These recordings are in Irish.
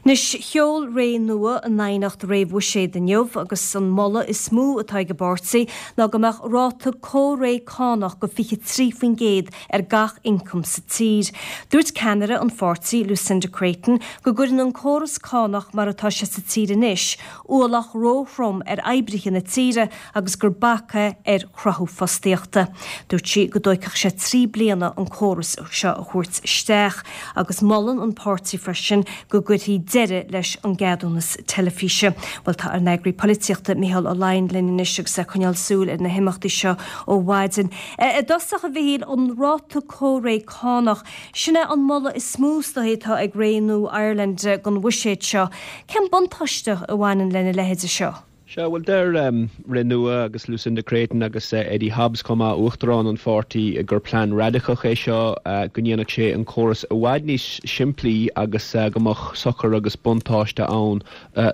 Anois, sheol Ré Nua a n aighneacht réamh-bhuiséid inniu agus an moladh is mó atá ag an bpáirtí ná go mbeadh ráta comhréidh cánach de 23% ar gach ioncam sa tír. Dúirt ceannaire an pháirtí, Lucinda Creighton, go gcuireann an córas cánach mar atá sé sa tír anois ualach ró-throm ar oibrithe na tíre agus gur bac é ar chruthú fostaíochta. Dúirt sí go dtóigfeadh sé 3 bliana an córas seo a thabhairt isteach agus molann an páirtí freisin go gcuirfí deireadh leis an gceadúnas teilifíse. Bhuel tá ár n-eagraí polaitíochta Micheál Ó Laighin linn anois agus é ag coinneáil súil ar na himeachtaí seo ó mhaidin. I dtosach, a Mhichíl, an ráta comhréidh cánach, sin é an moladh is mó is dóigh atá ag Ré Nua Ireland don bhuiséad seo. Cén buntáiste a bhaineann lena leithéide seo? Sea, bhuel, deir Ré Nua agus Lucinda Creighton agus Eddie Hobbs chomh maith, uachtarán an pháirtí, gur plean radacach é seo, go ndéanfadh sé an córas i bhfad níos simplí agus go mbeadh sochar agus buntáiste ann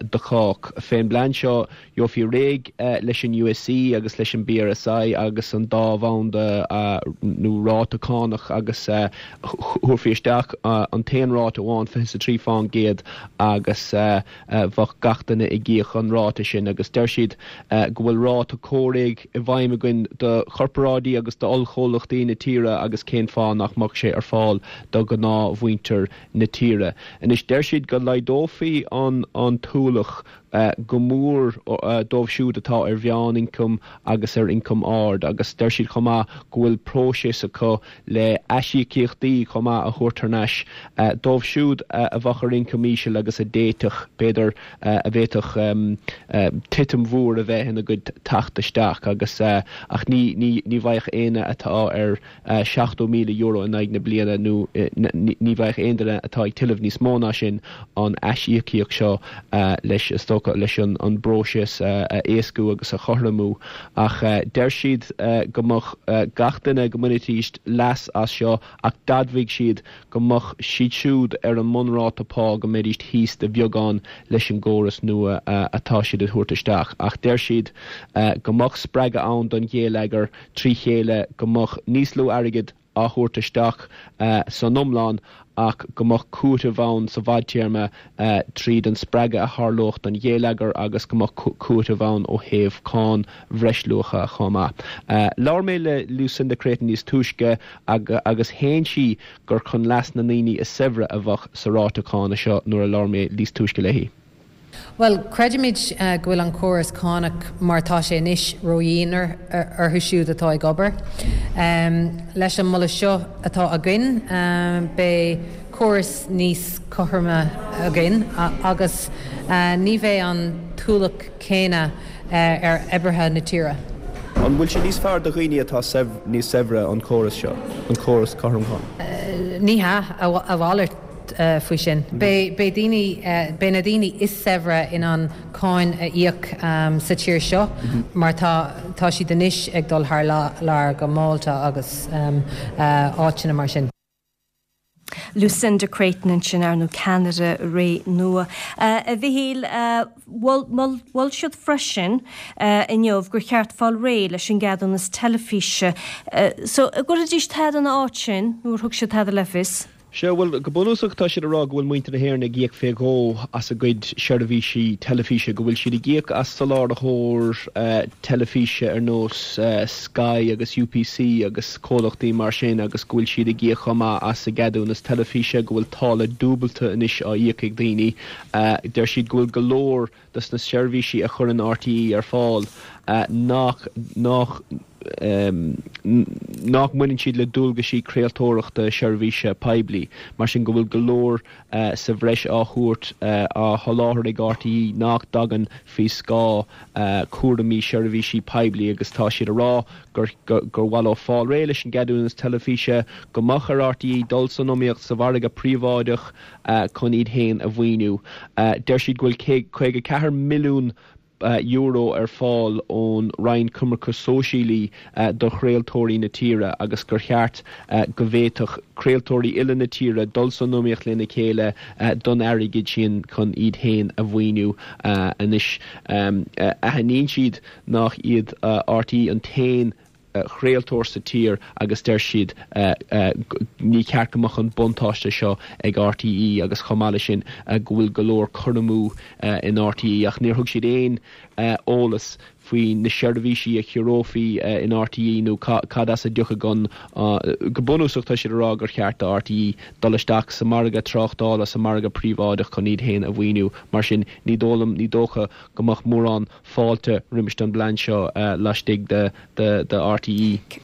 do chách. Fén bplean seo, gheofaí réidh leis an USC agus leis an bPRSI agus an dá bhanda nó ráta cánach agus thabharfaí isteach an t-aon ráta amháin, 23%, agus bheadh gach duine ag íoc an ráta sin agus deir siad go bhfuil ráta comhréidh i bhfeidhm againn do chorparáidí agus d'ollchomhlachtaí na tíre agus cén fáth nach mbeadh sé ar fáil do ghnáthmhuintir na tíre. Anois deir siad go laghdófaí an an t-ualach go mór dóibh siúd atá ar mheán-ioncam agus ar ioncam ard agus deir siad chomh maith go bhfuil próiseas acu le aisíocaíochtaí chomh maith a thabhairt thar n-ais dóibh siúd a bheadh ar ioncam íseal agus a d'fhéadfadh, b'fhéidir, a bhféadfadh titim mhór a bheith ina gcuid teacht isteach agus ach ní ní bhfaigheadh éinne atá ar €70,000 in aghaidh na bliana nó ní bhfaigheadh aon duine atá ag tuilleamh níos mó ná sin an aisíocaíocht seo leis, is dócha, leis an bpróiseas a éascú agus a chothromú. Ach deir siad go mbeadh gach duine, go mbainfidís leas as seo ach d'admhaigh siad go mbeadh siad siúd ar an mbunráta pá go mbeidís thíos de bheagán leis an gcóras nua atá siad a thabhairt isteach. Ach deir siad go mbeadh spreagadh ann don ghéilleagar trí chéile, go mbeadh níos lú airgid á thabhairt isteach san iomlán ach go mbeadh cúiteamh ann sa bhfadtéarma tríd an spreagadh a tharlódh don ghéilleagar agus go mbeadh cúiteamh ann ó thaobh cáin bhreisluacha chomh maith. Labhair mé le Lucinda Creighton níos túisce agus shéan sí gur chun leas na ndaoine is saibhre a bheadh sa ráta cánach seo nuair a labhair mé níos túisce léi. Bhuel, creidimid go bhfuil an córas cánach mar atá sé anois ródhian orthu siúd atá ag obair. Leis an moladh seo atá againn, beidh córas níos cothroime againn agus ní bheidh an t-ualach céanna ar oibrithe na tíre. An bhfuil sé níos fearr do dhaoine atá níos saibhre an córas seo, an córas cothrom cánach? Ní hea, a mhalairt. faoi sin. Beidh daoine, beidh na daoine is saibhre in ann cáin a íoc sa tír seo mar tá, tá siad anois ag dul thar lear go Málta agus áiteanna mar sin. Lucinda Creighton ansin, ar ndóigh, ceannaire Ré Nua. A Mhichíl, mhol siad freisin inniu gur cheart fáil réidh leis an gceadúnas teilifíse. So, an gcuirfidís tada ina áit sin nó ar thug siad tada le fios? Sea, bhuel, go bunúsach tá siad ag rá go bhfuil muintir na hÉireann ag íoc fé dhó as a gcuid seirbhísí teilifíse, go bhfuil siad ag íoc as soláthrathóir teilifíse ar nós Sky agus UPC agus comhlachtaí mar sin agus go bhfuil siad ag íoc chomh maith as a gceadúnas teilifíse, go bhfuil táille dúbailte anois á íoc ag daoine. Deir siad go bhfuil go leor dos na seirbhísí a chuireann RTÉ ar fáil nach nach nach mbaineann siad le dualgaisí craoltóireachta seirbhíse poiblí, mar sin go bhfuil go leor sa bhreis á thabhairt, á sholáthar ag RTÉ nach dtagann faoi scáth cúraimí seirbhísí poiblí agus tá siad a rá gur gur mhaith leo fáil réidh leis an gceadúnas teilifíse, go mbeadh ar RTÉ dul san iomaíocht sa mhargadh príobháideach. chun iad féin a mhaoiniú. Deir siad go bhfuil €54 milliún ar fáil ón Roinn Coimirce Sóisialaí do chraoltóirí na tíre agus gur cheart go bhféadfadh craoltóirí uile na tíre dul san iomaíocht lena chéile don airgead sin chun iad féin a mhaoiniú. Anois, aithníonn siad nach iad RTÉ an t-aon. chraoltóir sa tír agus deir siad ní ceart go mbeadh an buntáiste seo ag RTÉ agus chomh maith leis sin go bhfuil go leor cur amú in RTÉ ach níor thug siad aon eolas faoi na seirbhísí a chiorrófaí in RTÉ nó cad as a dtiocfadh an. Go bunúsach tá siad ag rá gur cheart do RTÉ dul isteach sa margadh tráchtála, sa margadh príobháideach chun iad féin a mhaoiniú. Mar sin ní dóigh liom, ní dócha go mbeadh mórán fáilte roimis an bplean seo laistigh de RTÉ.